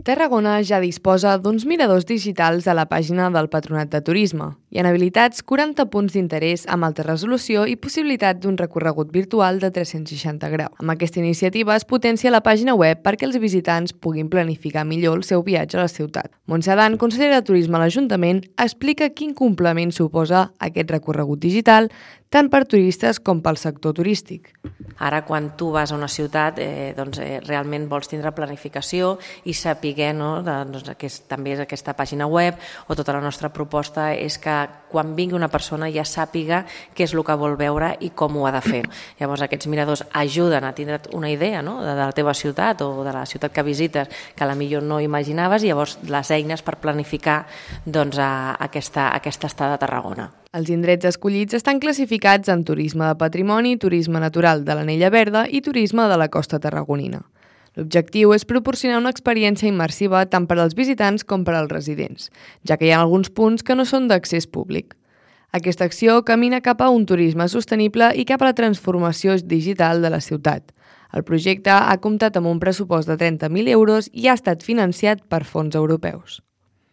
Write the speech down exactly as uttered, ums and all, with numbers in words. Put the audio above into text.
Tarragona ja disposa d'uns miradors digitals a la pàgina del Patronat de Turisme i han habilitats quaranta punts d'interès amb alta resolució i possibilitat d'un recorregut virtual de tres-cents seixanta graus. Amb aquesta iniciativa es potencia la pàgina web perquè els visitants puguin planificar millor el seu viatge a la ciutat. Montse Adán, consellera de Turisme a l'Ajuntament, explica quin complement suposa aquest recorregut digital tant per turistes com pel sector turístic. Ara, quan tu vas a una ciutat, eh, doncs, eh, realment vols tindre planificació i saber, no, doncs, que és, també és aquesta pàgina web, o tota la nostra proposta és que quan vingui una persona ja sàpiga què és el que vol veure i com ho ha de fer. Llavors, aquests miradors ajuden a tindre una idea, no, de la teva ciutat o de la ciutat que visites que a la millor no imaginaves, i llavors les eines per planificar doncs, a aquesta, aquesta estada a Tarragona. Els indrets escollits estan classificats en turisme de patrimoni, turisme natural de l'Anella Verda i turisme de la costa tarragonina. L'objectiu és proporcionar una experiència immersiva tant per als visitants com per als residents, ja que hi ha alguns punts que no són d'accés públic. Aquesta acció camina cap a un turisme sostenible i cap a la transformació digital de la ciutat. El projecte ha comptat amb un pressupost de trenta mil euros i ha estat financiat per fons europeus.